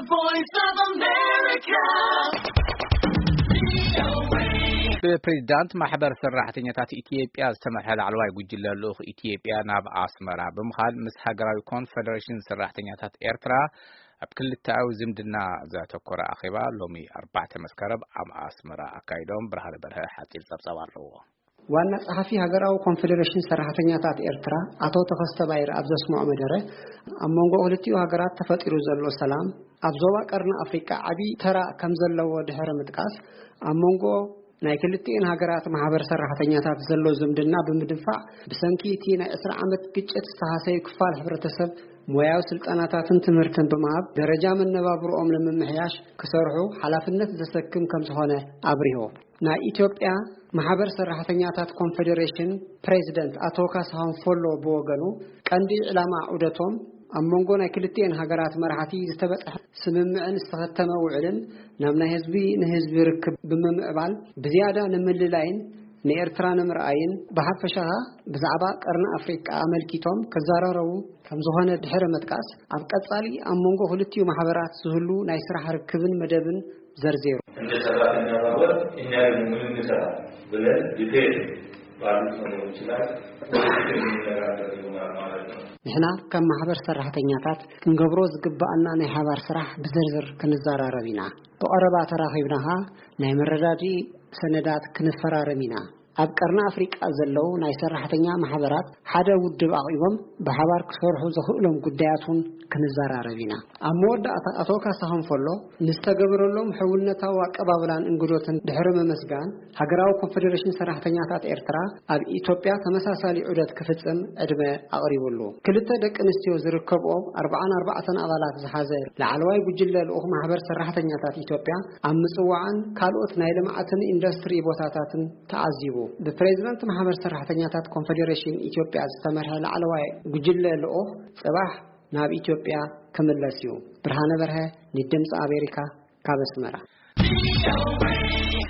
Voice of America. ብፕሬዚዳንት ማሕበር ሰራሕተኛታት ኢትዮጵያ ዝተመርሐ ላዕለዋይ ጉጅለ ልኡኽ ኢትዮጵያ ናብ ኣስመራ ብምኻድ ምስ ሃገራዊ ኮንፈደሬሽን ሰራሕተኛታት ኤርትራ ኣብ ክልተኣዊ ዝምድና ዘተኮረ ኣኼባ ሎሚ ኣርባዕተ መስከረም ኣብ ኣስመራ ኣካይዶም። ብርሃነ በርሀ ሓጺር ጸብጻብ ኣለዎ። ዋና ጸሓፊ ሃገራዊ ኮንፈደሬሽን ሰራሕተኛታት ኤርትራ ኣቶ ተኸስተ ባይር ኣብ ዘስምዖ መደረ፣ ኣብ መንጎ ክልቲኡ ሃገራት ተፈጢሩ ዘሎ ሰላም፣ ኣብ ዞባ ቀርኒ ኣፍሪቃ ዓቢ ተራ ከም ዘለዎ ድሕሪ ምጥቃስ፣ ኣብ መንጎ ናይ ክልቲኤን ሃገራት ማሕበር ሰራሕተኛታት ዘሎ ዝምድና ብምድንፋዕ፣ ብሰንኪ እቲ ናይ ዕስራ ዓመት ግጭት ዝተሃሰዩ ክፋል ሕብረተሰብ ሞያዊ ስልጠናታትን ትምህርትን ብምሃብ፣ ደረጃ መነባብሮኦም ንምምሕያሽ ክሰርሑ ሓላፍነት ዘሰክም ከም ዝኾነ ኣብሪሁ። ናይ ኢትዮጵያ ማሕበር ሰራሕተኛታት ኮንፈደሬሽን ፕሬዚደንት ኣቶ ካሳሁን ፎሎ ብወገኑ፣ ቀንዲ ዕላማ ዑደቶም ኣብ መንጎ ናይ ክልቲኤን ሃገራት መራሕቲ ዝተበጽሐ ስምምዕን ዝተኸተመ ውዕልን ናብ ናይ ህዝቢ ንህዝቢ ርክብ ብምምዕባል ብዝያዳ ንምልላይን ንኤርትራ ንምርኣይን ብሓፈሻ ብዛዕባ ቀርኒ ኣፍሪቃ ኣመልኪቶም ክዘራረቡ ከም ዝኾነ ድሕሪ ምጥቃስ፣ ኣብ ቀጻሊ ኣብ መንጎ ክልቲኡ ማሕበራት ዝህሉ ናይ ስራሕ ርክብን መደብን ዘርዚሩ። እንደ ሰራተኛ ማህበር እኛ ደግሞ ምን እንሰራ ብለን ዲቴል ባሉት ነገሮች ላይ ወደፊት የምንነጋገር ይሆናል ማለት ነው። ንሕና ከም ማሕበር ሰራሕተኛታት ክንገብሮ ዝግባኣና ናይ ሓባር ስራሕ ብዝርዝር ክንዘራረብ ኢና። ብቐረባ ተራኺብና ኸኣ ናይ መረዳድኢ ሰነዳት ክንፈራረም ኢና። ኣብ ቀርኒ ኣፍሪቃ ዘለዉ ናይ ሰራሕተኛ ማሕበራት ሓደ ውድብ ኣቕሪቦም ብሓባር ክሰርሑ ዘኽእሎም ጉዳያት እውን ክንዘራረብ ኢና። ኣብ መወዳእታ ኣቶ ካሳሁን ፎሎ ንዝተገበረሎም ሕውነታዊ ኣቀባብላን እንግዶትን ድሕሪ ምምስጋን፣ ሃገራዊ ኮንፈደሬሽን ሰራሕተኛታት ኤርትራ ኣብ ኢትዮጵያ ተመሳሳሊ ዑደት ክፍጽም ዕድመ ኣቕሪቡሉ። ክልተ ደቂ ኣንስትዮ ዝርከብኦ ኣርባዓን ኣርባዕተን ኣባላት ዝሓዘ ላዕለዋይ ጉጅለ ልኡኽ ማሕበር ሰራሕተኛታት ኢትዮጵያ ኣብ ምጽዋዕን ካልኦት ናይ ልምዓትን ኢንዱስትሪ ቦታታትን ተዓዚቡ። ብፕሬዚዳንት ማሕበር ሰራሕተኛታት ኮንፈደሬሽን ኢትዮጵያ ዝተመርሐ ላዕለዋይ ጉጅለ ልኡኽ ጽባሕ ናብ ኢትዮጵያ ክምለስ እዩ። ብርሃነ በርሀ ንድምፂ ኣሜሪካ ካብ ኣስመራ።